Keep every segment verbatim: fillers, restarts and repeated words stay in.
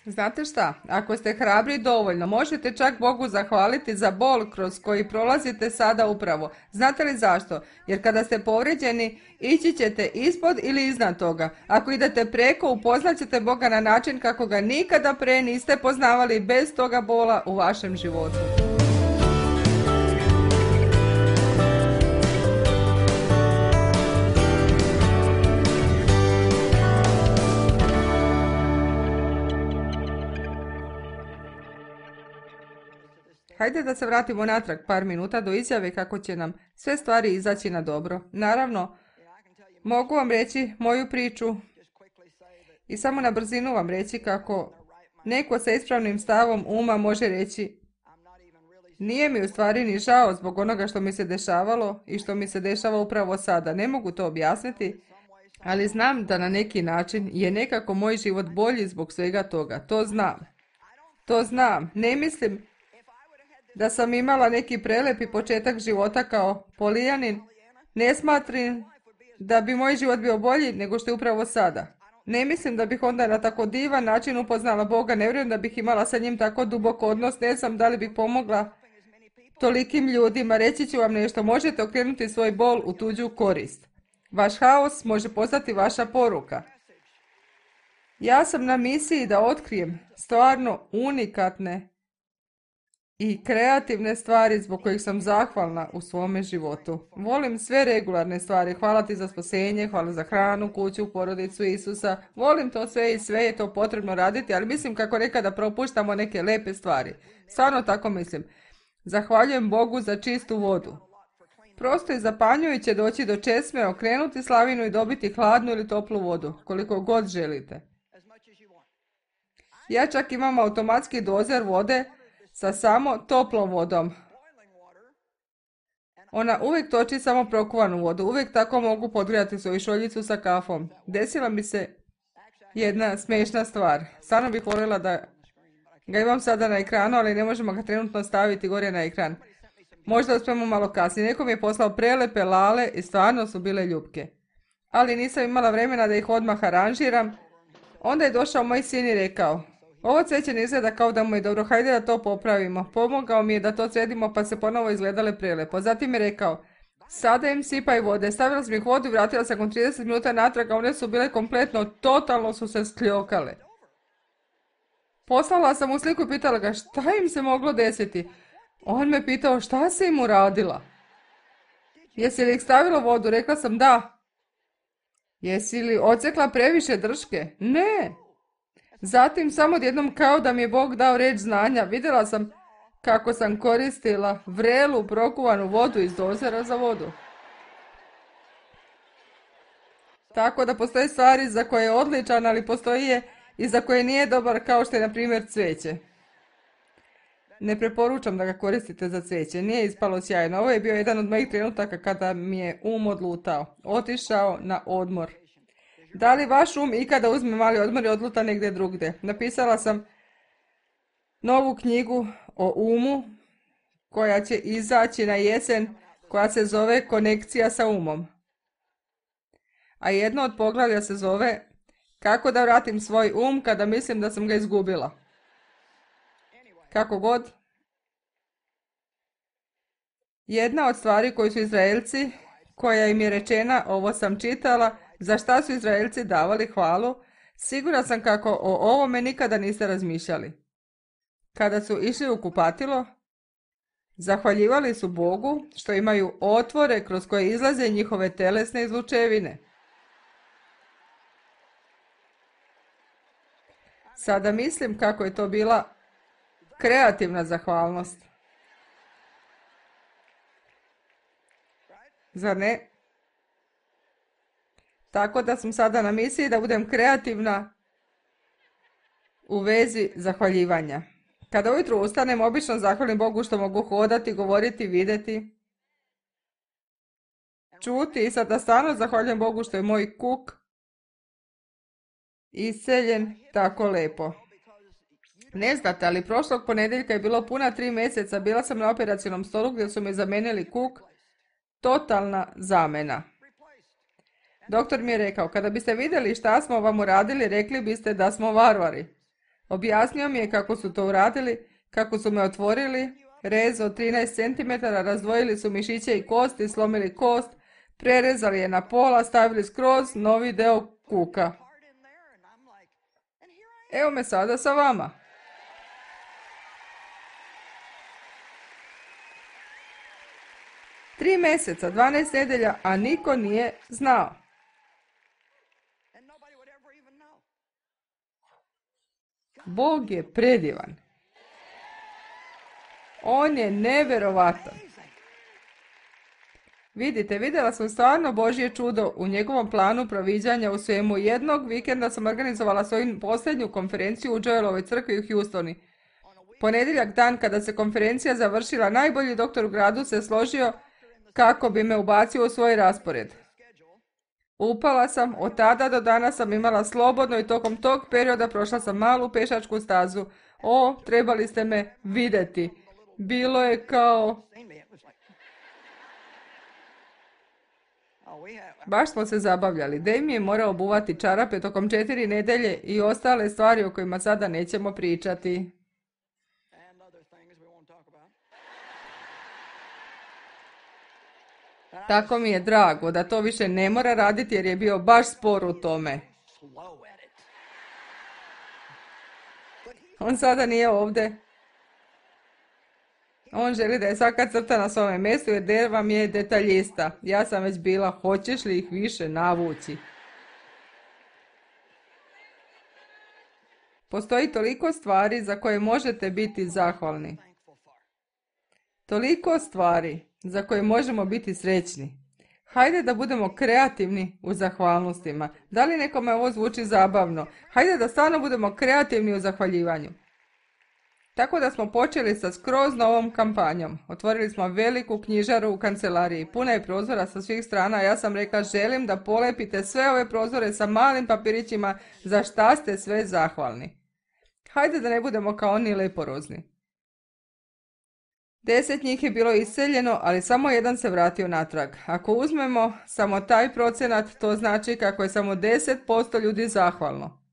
Znate šta, ako ste hrabri dovoljno, možete čak Bogu zahvaliti za bol kroz koji prolazite sada upravo. Znate li zašto? Jer kada ste povrijeđeni, ići ćete ispod ili iznad toga. Ako idete preko, upoznat ćete Boga na način kako ga nikada pre niste poznavali bez toga bola u vašem životu. Hajde da se vratimo natrag par minuta do izjave kako će nam sve stvari izaći na dobro. Naravno, mogu vam reći moju priču i samo na brzinu vam reći kako neko sa ispravnim stavom uma može reći: nije mi u stvari ni žao zbog onoga što mi se dešavalo i što mi se dešava upravo sada. Ne mogu to objasniti, ali znam da na neki način je nekako moj život bolji zbog svega toga. To znam. To znam. Ne mislim da sam imala neki prelepi početak života kao Polijanin. Ne smatram da bi moj život bio bolji nego što je upravo sada. Ne mislim da bih onda na tako divan način upoznala Boga. Ne vjerujem da bih imala sa njim tako dubok odnos. Ne znam da li bih pomogla tolikim ljudima. Reći ću vam nešto. Možete okrenuti svoj bol u tuđu korist. Vaš haos može postati vaša poruka. Ja sam na misiji da otkrijem stvarno unikatne i kreativne stvari zbog kojih sam zahvalna u svome životu. Volim sve regularne stvari. Hvala ti za spasenje, hvala za hranu, kuću, porodicu Isusa. Volim to sve i sve je to potrebno raditi, ali mislim kako nekada propuštamo neke lepe stvari. Stvarno tako mislim. Zahvaljujem Bogu za čistu vodu. Prosto je zapanjujuće doći do česme, okrenuti slavinu i dobiti hladnu ili toplu vodu, koliko god želite. Ja čak imam automatski dozer vode sa samo toplom vodom. Ona uvijek toči samo prokuvanu vodu. Uvijek tako mogu podgrijati svoju šoljicu sa kafom. Desila mi se jedna smiješna stvar. Stvarno bih voljela da ga imam sada na ekranu, ali ne možemo ga trenutno staviti gore na ekran. Možda uspijemo malo kasnije. Neko mi je poslao prelepe lale i stvarno su bile ljupke. Ali nisam imala vremena da ih odmah aranžiram. Onda je došao moj sin i rekao: ovo cveće ne izgleda kao da mu je dobro, hajde da to popravimo. Pomogao mi je da to sredimo pa se ponovo izgledale prelepo. Zatim je rekao: sada im sipaj vode. Stavila sam ih vodu i vratila sam nakon trideset minuta natrag, a one su bile kompletno, totalno su se skljokale. Poslala sam mu sliku i pitala ga šta im se moglo desiti. On me pitao šta si im uradila. Jesi li ih stavila u vodu? Rekla sam da. Jesi li odsekla previše drške? Ne. Zatim samo odjednom kao da mi je Bog dao reč znanja, vidjela sam kako sam koristila vrelu prokuvanu vodu iz dozera za vodu. Tako da postoje stvari za koje je odličan, ali postoji je i za koje nije dobar, kao što je na primjer cveće. Ne preporučam da ga koristite za cveće, nije ispalo sjajno. Ovo je bio jedan od mojih trenutaka kada mi je um odlutao, otišao na odmor. Da li vaš um ikada uzme mali odmor i odluta negdje drugdje? Napisala sam novu knjigu o umu koja će izaći na jesen, koja se zove Konekcija sa umom. A jedno od poglavlja se zove Kako da vratim svoj um kada mislim da sam ga izgubila. Kako god. Jedna od stvari koju su Izraelci, koja im je rečena, ovo sam čitala, za šta su Izraelci davali hvalu, sigurna sam kako o ovome nikada niste razmišljali. Kada su išli u kupatilo, zahvaljivali su Bogu što imaju otvore kroz koje izlaze njihove telesne izlučevine. Sada mislim kako je to bila kreativna zahvalnost. Zar ne? Tako da sam sada na misiji da budem kreativna u vezi zahvaljivanja. Kada ujutro ustanem, obično zahvalim Bogu što mogu hodati, govoriti, vidjeti, čuti i sada stvarno zahvaljujem Bogu što je moj kuk isceljen tako lepo. Ne znate, ali prošlog ponedjeljka je bilo puna tri mjeseca, bila sam na operacionom stolu gdje su mi zamenili kuk, totalna zamena. Doktor mi je rekao, kada biste vidjeli šta smo vam uradili, rekli biste da smo varvari. Objasnio mi je kako su to uradili, kako su me otvorili, rez od trinaest centimetara, razdvojili su mišiće i kosti, slomili kost, prerezali je na pola, stavili skroz novi deo kuka. Evo me sada sa vama. Tri mjeseca, dvanaest nedelja, a niko nije znao. Bog je predivan. On je neverovatan. Vidite, vidjela sam stvarno Božje čudo u njegovom planu proviđanja u svemu. Jednog vikenda sam organizovala svoju posljednju konferenciju u Joelovoj crkvi u Houstoni. Ponedjeljak dan kada se konferencija završila, najbolji doktor u gradu se složio kako bi me ubacio u svoj raspored. Upala sam, od tada do danas sam imala slobodno i tokom tog perioda prošla sam malu pešačku stazu. O, trebali ste me vidjeti. Bilo je kao... Baš smo se zabavljali. Dave mi je morao obuvati čarape tokom četiri nedelje i ostale stvari o kojima sada nećemo pričati. Tako mi je drago da to više ne mora raditi jer je bio baš spor u tome. On sada nije ovdje. On želi da je svaka crta na svome mjestu jer Dave vam je detaljista. Ja sam već bila, hoćeš li ih više navući? Postoji toliko stvari za koje možete biti zahvalni. Toliko stvari za koje možemo biti srećni. Hajde da budemo kreativni u zahvalnostima. Da li nekome ovo zvuči zabavno? Hajde da stvarno budemo kreativni u zahvaljivanju. Tako da smo počeli sa skroz novom kampanjom. Otvorili smo veliku knjižaru u kancelariji. Puna je prozora sa svih strana. Ja sam rekla, želim da polepite sve ove prozore sa malim papirićima za šta ste sve zahvalni. Hajde da ne budemo kao oni leporozni. Deset njih je bilo iseljeno, ali samo jedan se vratio natrag. Ako uzmemo samo taj procenat, to znači kako je samo deset posto ljudi zahvalno.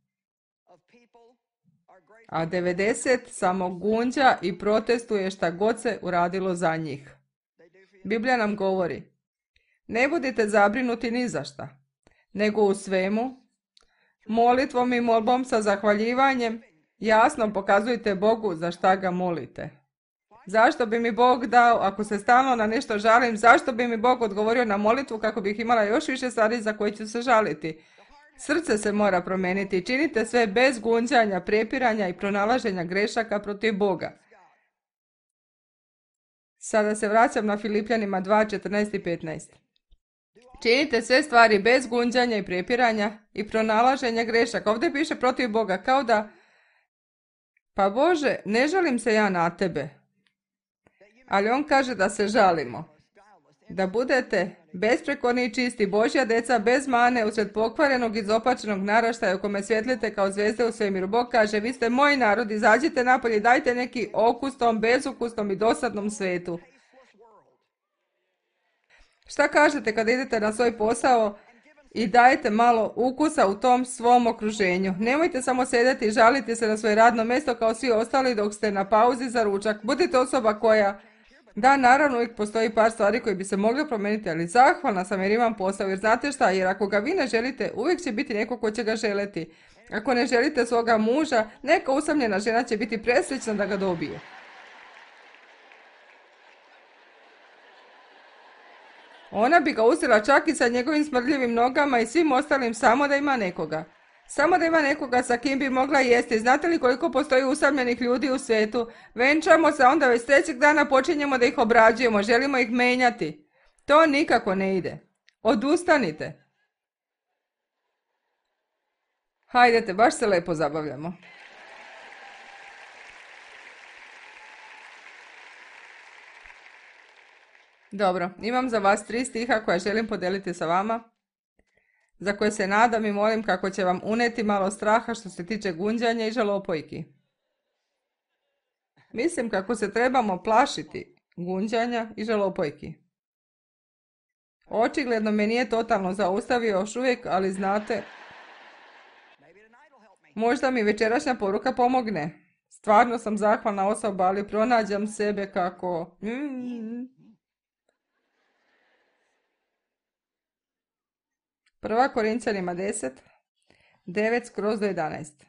A devedeset samo gunđa i protestuje šta god se uradilo za njih. Biblija nam govori, ne budite zabrinuti ni za šta, nego u svemu, molitvom i molbom sa zahvaljivanjem, jasno pokazujte Bogu za šta ga molite. Zašto bi mi Bog dao, ako se stalno na nešto žalim, zašto bi mi Bog odgovorio na molitvu kako bih imala još više stvari za koje ću se žaliti? Srce se mora promijeniti. Činite sve bez gunđanja, prepiranja i pronalaženja grešaka protiv Boga. Sada se vraćam na Filipljanima dva, četrnaest i petnaest. Činite sve stvari bez gunđanja i prepiranja i pronalaženja grešaka. Ovdje piše protiv Boga, kao da, pa Bože, ne žalim se ja na tebe. Ali on kaže da se žalimo. Da budete besprekorni i čisti, Božja deca bez mane, usred pokvarenog i izopačenog naraštaja u kome svjetlite kao zvezde u svemiru. Bog kaže, vi ste moj narod, izađite napolje i dajte neki okus tom bezukusnom i dosadnom svetu. Šta kažete kada idete na svoj posao i dajete malo ukusa u tom svom okruženju? Nemojte samo sjedeti i žaliti se na svoje radno mjesto kao svi ostali dok ste na pauzi za ručak. Budite osoba koja... Da, naravno, uvijek postoji par stvari koje bi se mogle promijeniti, ali zahvalna sam jer imam posao, jer znate šta, jer ako ga vi ne želite, uvijek će biti neko ko će ga želiti. Ako ne želite svoga muža, neka usamljena žena će biti presrećna da ga dobije. Ona bi ga uzela čak i sa njegovim smrdljivim nogama i svim ostalim samo da ima nekoga. Samo da ima nekoga sa kim bi mogla jesti. Znate li koliko postoji usamljenih ljudi u svijetu? Venčamo se, onda već trećeg dana počinjemo da ih obrađujemo, želimo ih menjati. To nikako ne ide. Odustanite. Hajdete, baš se lepo zabavljamo. Dobro, imam za vas tri stiha koja želim podeliti sa vama, za koje se nadam i molim kako će vam uneti malo straha što se tiče gunđanja i žalopojki. Mislim kako se trebamo plašiti gunđanja i žalopojki. Očigledno me nije totalno zaustavio još uvijek, ali znate, Možda mi večerašnja poruka pomogne. Stvarno sam zahvalna osoba, ali pronađam sebe kako... Mm. Prva Korinćanima deset, devet skroz do jedanaest.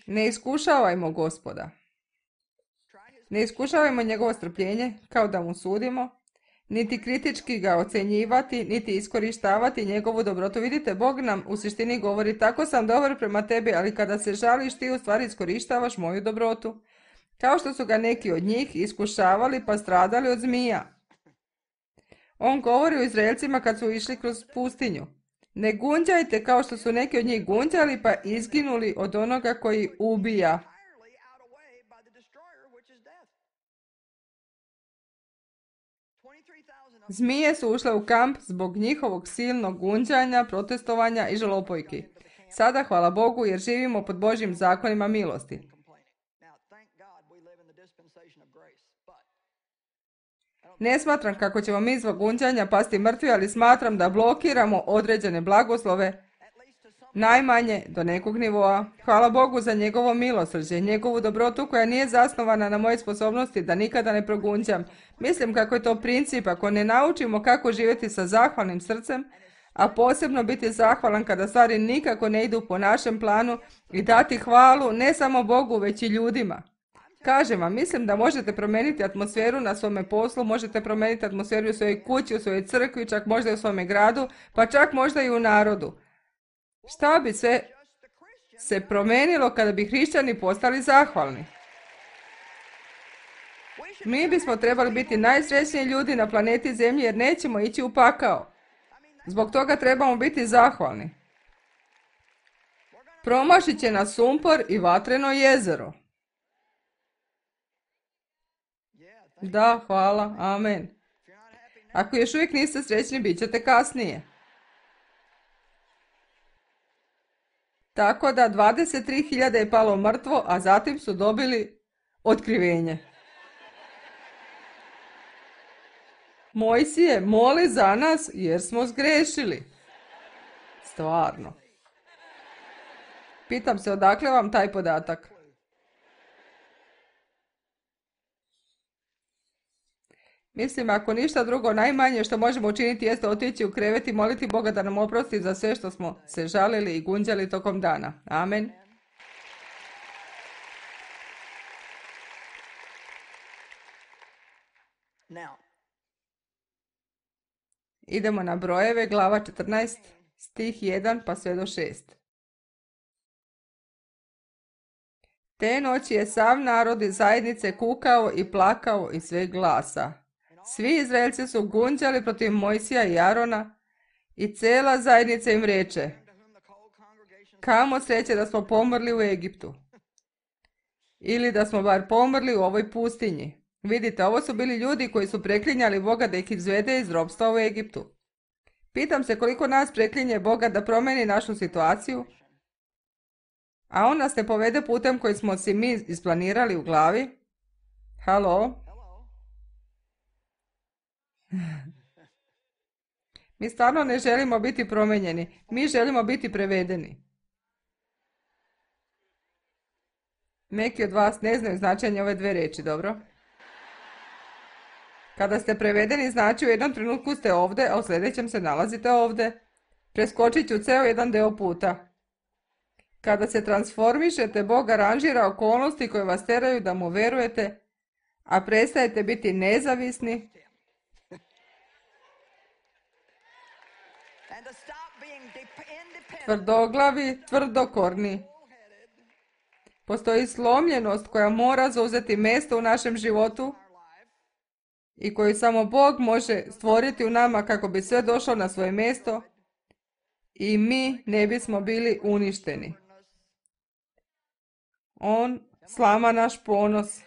Ne iskušavajmo Gospoda. Ne iskušavajmo njegovo strpljenje kao da mu sudimo, niti kritički ga ocjenjivati, niti iskorištavati njegovu dobrotu. Vidite, Bog nam u suštini govori, tako sam dobar prema tebi, ali kada se žališ ti u stvari iskorištavaš moju dobrotu. Kao što su ga neki od njih iskušavali pa stradali od zmija. On govori o Izraelcima kad su išli kroz pustinju. Ne gunđajte kao što su neki od njih gunđali pa izginuli od onoga koji ubija. Zmije su ušle u kamp zbog njihovog silnog gunđanja, protestovanja i žalopojki. Sada, hvala Bogu, jer živimo pod Božjim zakonima milosti. Ne smatram kako ćemo mi zbog gunđanja pasti mrtvi, ali smatram da blokiramo određene blagoslove, najmanje do nekog nivoa. Hvala Bogu za njegovo milosrđe, njegovu dobrotu koja nije zasnovana na moje sposobnosti da nikada ne progunđam. Mislim kako je to princip ako ne naučimo kako živjeti sa zahvalnim srcem, a posebno biti zahvalan kada stvari nikako ne idu po našem planu i dati hvalu ne samo Bogu već i ljudima. Kažem vam, mislim da možete promijeniti atmosferu na svome poslu, možete promijeniti atmosferu u svojoj kući, u svojoj crkvi, čak možda i u svome gradu, pa čak možda i u narodu. Šta bi sve se promijenilo kada bi hrišćani postali zahvalni? Mi bismo trebali biti najsrećniji ljudi na planeti Zemlji jer nećemo ići u pakao. Zbog toga trebamo biti zahvalni. Promašit će nas sumpor i vatreno jezero. Da, hvala, amen. Ako još uvijek niste srećni, bit ćete kasnije. Tako da dvadeset tri hiljade je palo mrtvo, a zatim su dobili otkrivenje. Mojsije, moli za nas jer smo zgrešili. Stvarno. Pitam se odakle vam taj podatak. Mislim, ako ništa drugo, najmanje što možemo učiniti jeste otići u krevet i moliti Boga da nam oprosti za sve što smo se žalili i gunđali tokom dana. Amen. Idemo na brojeve, glava četrnaest, stih jedan pa sve do šest. Te noći je sav narod iz zajednice kukao i plakao iz sveg glasa. Svi Izraelci su gunđali protiv Mojsija i Arona i cela zajednica im reče: kamo sreće da smo pomrli u Egiptu. Ili da smo bar pomrli u ovoj pustinji. Vidite, ovo su bili ljudi koji su preklinjali Boga da ih izvede iz ropstva u Egiptu. Pitam se koliko nas preklinje Boga da promeni našu situaciju, a on nas ne povede putem koji smo si mi isplanirali u glavi. Halo? Mi stvarno ne želimo biti promijenjeni, mi želimo biti prevedeni. Neki od vas ne znaju značenje ove dve riječi, dobro? Kada ste prevedeni, znači u jednom trenutku ste ovdje, a u sljedećem se nalazite ovdje. Preskočit ću ceo jedan deo puta. Kada se transformišete, Bog aranžira okolnosti koje vas teraju da mu verujete, a prestajete biti nezavisni tvrdoglavi, tvrdokorni. Postoji slomljenost koja mora zauzeti mjesto u našem životu i koju samo Bog može stvoriti u nama kako bi sve došlo na svoje mjesto i mi ne bismo bili uništeni. On slama naš ponos,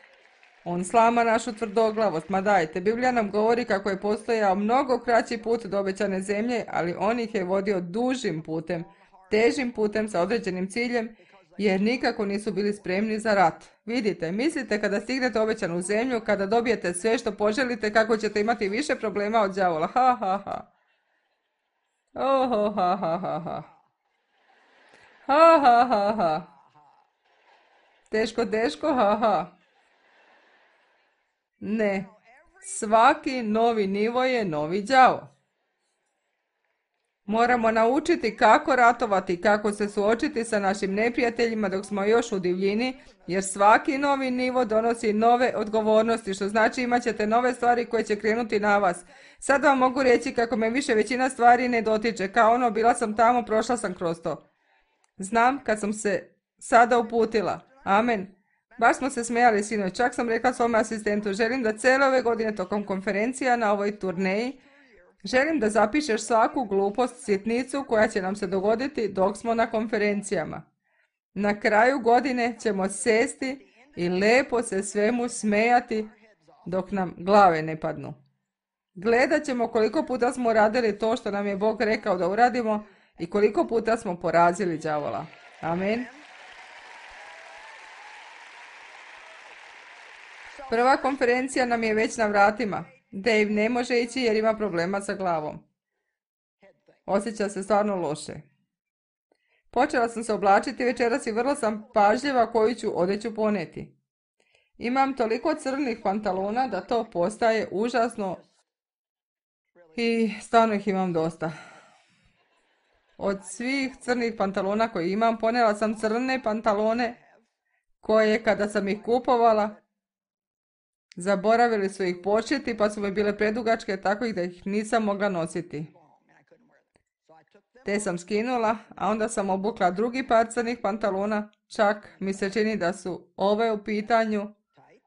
on slama našu tvrdoglavost. Ma dajte, Biblija nam govori kako je postojao mnogo kraći put do obećane zemlje, ali on ih je vodio dužim putem, težim putem sa određenim ciljem, jer nikako nisu bili spremni za rat. Vidite, mislite kada stignete obećanu zemlju, kada dobijete sve što poželite, kako ćete imati više problema od đavola. Ha, ha, ha. Oh, ha, ha, ha, ha. Ha, ha, ha, ha. Teško, teško, ha, ha. Ne. Svaki novi nivo je novi đavo. Moramo naučiti kako ratovati, kako se suočiti sa našim neprijateljima dok smo još u divljini, jer svaki novi nivo donosi nove odgovornosti, što znači imat ćete nove stvari koje će krenuti na vas. Sad vam mogu reći kako me više većina stvari ne dotiče, kao ono bila sam tamo, prošla sam kroz to. Znam kad sam se sada uputila. Amen. Baš smo se smijali sinoć, čak sam rekla svome asistentu, želim da cijele ove godine tokom konferencija na ovoj turneji, želim da zapišeš svaku glupost, sitnicu koja će nam se dogoditi dok smo na konferencijama. Na kraju godine ćemo sesti i lepo se svemu smejati dok nam glave ne padnu. Gledat ćemo koliko puta smo radili to što nam je Bog rekao da uradimo i koliko puta smo porazili đavola. Amen. Prva konferencija nam je već na vratima. Dave ne može ići jer ima problema sa glavom. Osjeća se stvarno loše. Počela sam se oblačiti večeras i vrlo sam pažljiva koju ću odeću poneti. Imam toliko crnih pantalona da to postaje užasno i stvarno ih imam dosta. Od svih crnih pantalona koje imam, ponela sam crne pantalone koje kada sam ih kupovala, zaboravili su ih početi pa su mi bile predugačke tako da ih nisam mogla nositi. Te sam skinula, a onda sam obukla drugi par crnih pantalona, čak mi se čini da su ove u pitanju,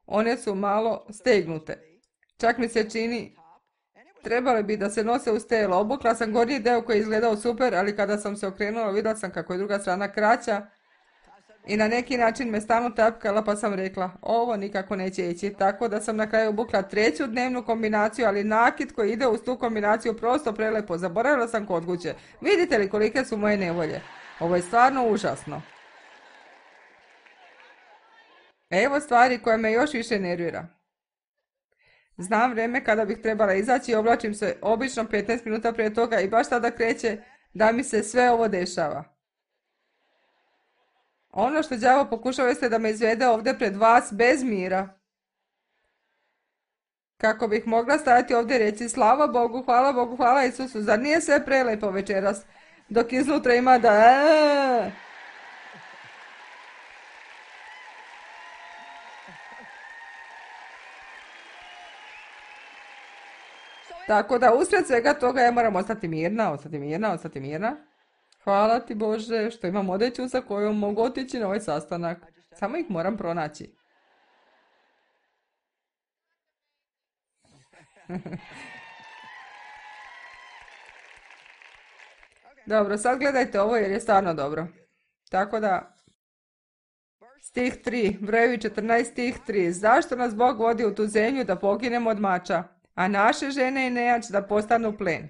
one su malo stegnute. Čak mi se čini, trebali bi da se nose uz telo. Obukla sam gornji deo koji je izgledao super, ali kada sam se okrenula vidjela sam kako je druga strana kraća i na neki način me stalno tapkala pa sam rekla, ovo nikako neće ići, tako da sam na kraju obukla treću dnevnu kombinaciju, ali nakit koji ide uz tu kombinaciju prosto prelepo, zaboravila sam kod kuće. Vidite li kolike su moje nevolje? Ovo je stvarno užasno. Evo stvari koje me još više nervira. Znam vrijeme kada bih trebala izaći i oblačim se obično petnaest minuta prije toga i baš tada kreće da mi se sve ovo dešava. Ono što đavo pokušava jeste da me izvede ovdje pred vas bez mira. Kako bih mogla stajati ovdje i reći slava Bogu, hvala Bogu, hvala Isusu, zar nije sve prelepo večeras, dok iznutra ima da... Aaaa! Tako da usred svega toga ja moram ostati mirna, ostati mirna, ostati mirna. Hvala ti Bože što imam odeću sa kojom mogu otići na ovaj sastanak. Samo ih moram pronaći. Dobro, sad gledajte ovo jer je stvarno dobro. Tako da, stih tri, brojevi četrnaest, stih tri. Zašto nas Bog vodi u tu zemlju da poginemo od mača, a naše žene i nejač da postanu plen?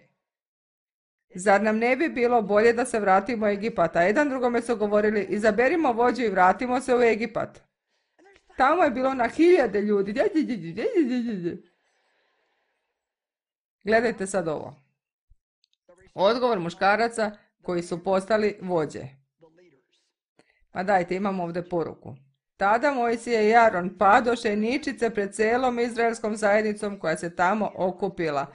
Zar nam ne bi bilo bolje da se vratimo u Egipat? A jedan drugome su govorili, izaberimo vođu i vratimo se u Egipat. Tamo je bilo na hiljade ljudi. Gledajte sad ovo. Odgovor muškaraca koji su postali vođe. Pa dajte, imamo ovdje poruku. Tada Mojsije i Aron padoše ničice pred celom izraelskom zajednicom koja se tamo okupila.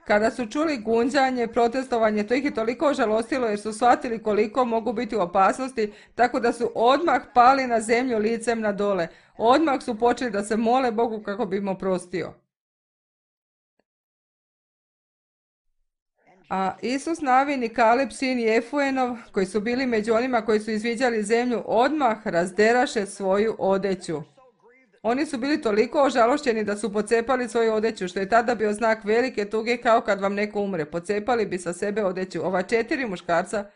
Kada su čuli gunđanje, protestovanje, to ih je toliko ožalostilo jer su shvatili koliko mogu biti u opasnosti, tako da su odmah pali na zemlju licem na dole. Odmah su počeli da se mole Bogu kako bi im oprostio. A Isus Navin i Kaleb sin Jefuenov, koji su bili među onima koji su izviđali zemlju, odmah razderaše svoju odeću. Oni su bili toliko ožalošćeni da su pocepali svoju odeću, što je tada bio znak velike tuge kao kad vam neko umre. Pocepali bi sa sebe odeću. Ova četiri muškarca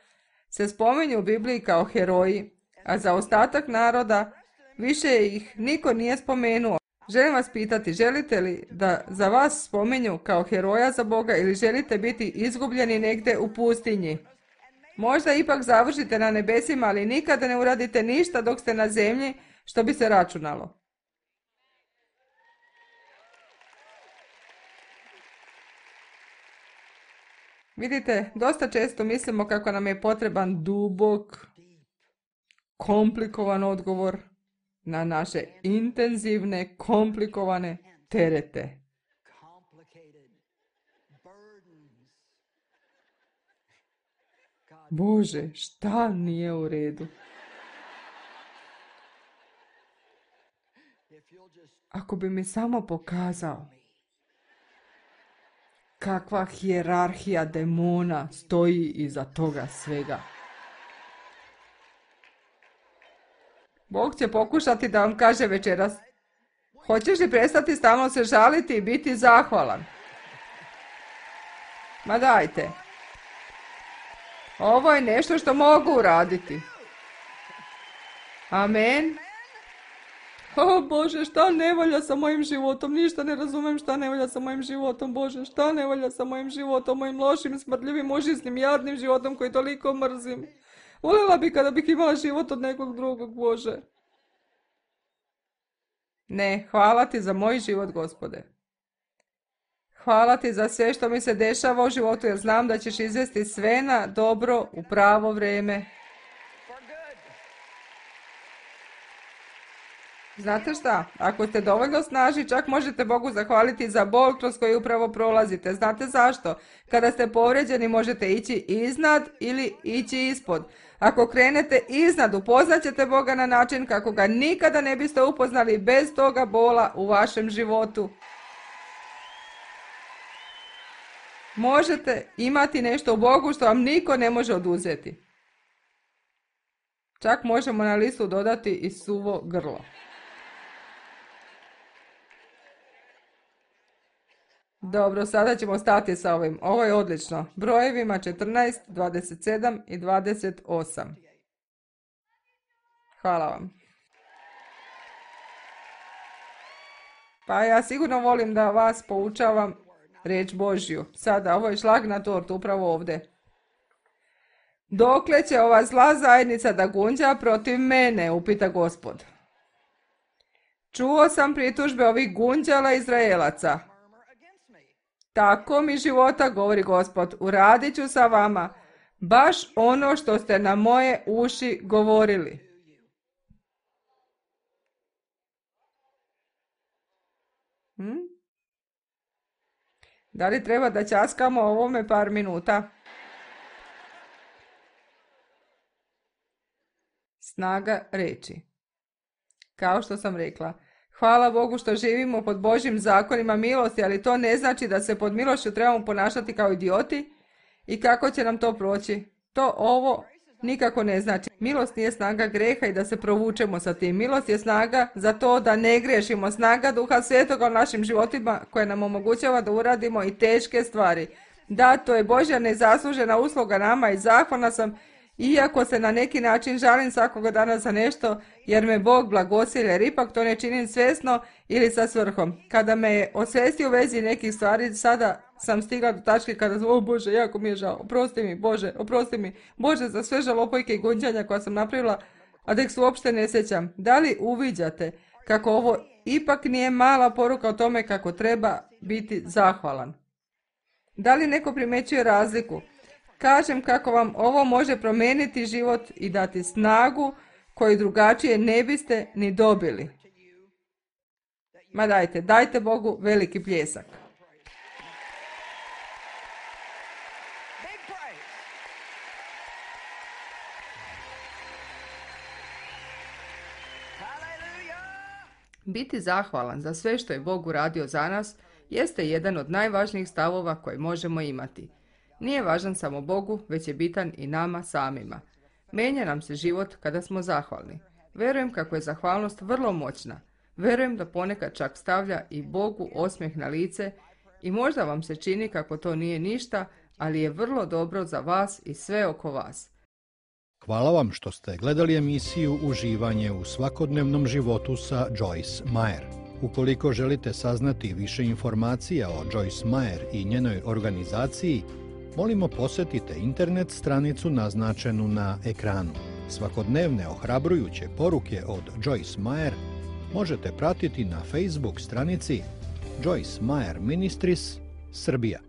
se spominju u Bibliji kao heroji, a za ostatak naroda više ih niko nije spomenuo. Želim vas pitati, želite li da za vas spominju kao heroja za Boga ili želite biti izgubljeni negdje u pustinji? Možda ipak završite na nebesima, ali nikada ne uradite ništa dok ste na zemlji što bi se računalo. Vidite, dosta često mislimo kako nam je potreban dubok, komplikovan odgovor na naše intenzivne, komplikovane terete. Bože, šta nije u redu? Ako bi mi samo pokazao kakva hijerarhija demona stoji iza toga svega. Bog će pokušati da vam kaže večeras: hoćeš li prestati stalno se žaliti i biti zahvalan? Ma dajte. Ovo je nešto što mogu uraditi. Amen. O Bože, šta ne valja sa mojim životom? Ništa ne razumem šta ne valja sa mojim životom, Bože. Šta ne valja sa mojim životom, mojim lošim, smrdljivim, užasnim, jadnim životom koji toliko mrzim. Voljela bi kada bih imala život od nekog drugog, Bože. Ne, hvala ti za moj život, Gospode. Hvala ti za sve što mi se dešava u životu, jer znam da ćeš izvesti sve na dobro u pravo vrijeme. Znate šta? Ako ste dovoljno snažni, čak možete Bogu zahvaliti za bol kroz koji upravo prolazite. Znate zašto? Kada ste povrijeđeni, možete ići iznad ili ići ispod. Ako krenete iznad, upoznat ćete Boga na način kako ga nikada ne biste upoznali bez toga bola u vašem životu. Možete imati nešto u Bogu što vam niko ne može oduzeti. Čak možemo na listu dodati i suvo grlo. Dobro, sada ćemo stati sa ovim. Ovo je odlično. Brojevima četrnaest, dvadeset sedam i dvadeset osam. Hvala vam. Pa ja sigurno volim da vas poučavam riječ Božju. Sada, ovo je šlag na tortu, upravo ovdje. Dokle će ova zla zajednica da gunđa protiv mene, upita Gospod. Čuo sam pritužbe ovih gunđala Izraelaca. Tako mi života, govori Gospod, uradit ću sa vama baš ono što ste na moje uši govorili. Hm? Da li treba da ćaskamo ovome par minuta? Snaga reči. Kao što sam rekla, hvala Bogu što živimo pod Božjim zakonima milosti, ali to ne znači da se pod milošću trebamo ponašati kao idioti i kako će nam to proći. To ovo nikako ne znači. Milost nije snaga greha i da se provučemo sa tim. Milost je snaga za to da ne griješimo. Snaga Duha Svetoga u našim životima koja nam omogućava da uradimo i teške stvari. Da, to je Božja nezaslužena usluga nama i zahvalna sam, iako se na neki način žalim svakoga dana za nešto, jer me Bog blagosilje, jer ipak to ne činim svjesno ili sa svrhom. Kada me je osvestio u vezi nekih stvari, sada sam stigla do tačke kada sam, o Bože, jako mi je žao, oprosti mi, Bože, oprosti mi, Bože, za sve žalopojke i gunđanja koja sam napravila, a da ih se uopšte ne sjećam. Da li uviđate kako ovo ipak nije mala poruka o tome kako treba biti zahvalan? Da li neko primjećuje razliku? Kažem kako vam ovo može promijeniti život i dati snagu koju drugačije ne biste ni dobili. Ma dajte, dajte Bogu veliki pljesak. Biti zahvalan za sve što je Bog uradio za nas jeste jedan od najvažnijih stavova koje možemo imati. Nije važan samo Bogu, već je bitan i nama samima. Menja nam se život kada smo zahvalni. Verujem kako je zahvalnost vrlo moćna. Verujem da ponekad čak stavlja i Bogu osmijeh na lice i možda vam se čini kako to nije ništa, ali je vrlo dobro za vas i sve oko vas. Hvala vam što ste gledali emisiju Uživanje u svakodnevnom životu sa Joyce Meyer. Ukoliko želite saznati više informacija o Joyce Meyer i njenoj organizaciji, molimo posjetite internet stranicu naznačenu na ekranu. Svakodnevne ohrabrujuće poruke od Joyce Meyer možete pratiti na Facebook stranici Joyce Meyer Ministries Srbija.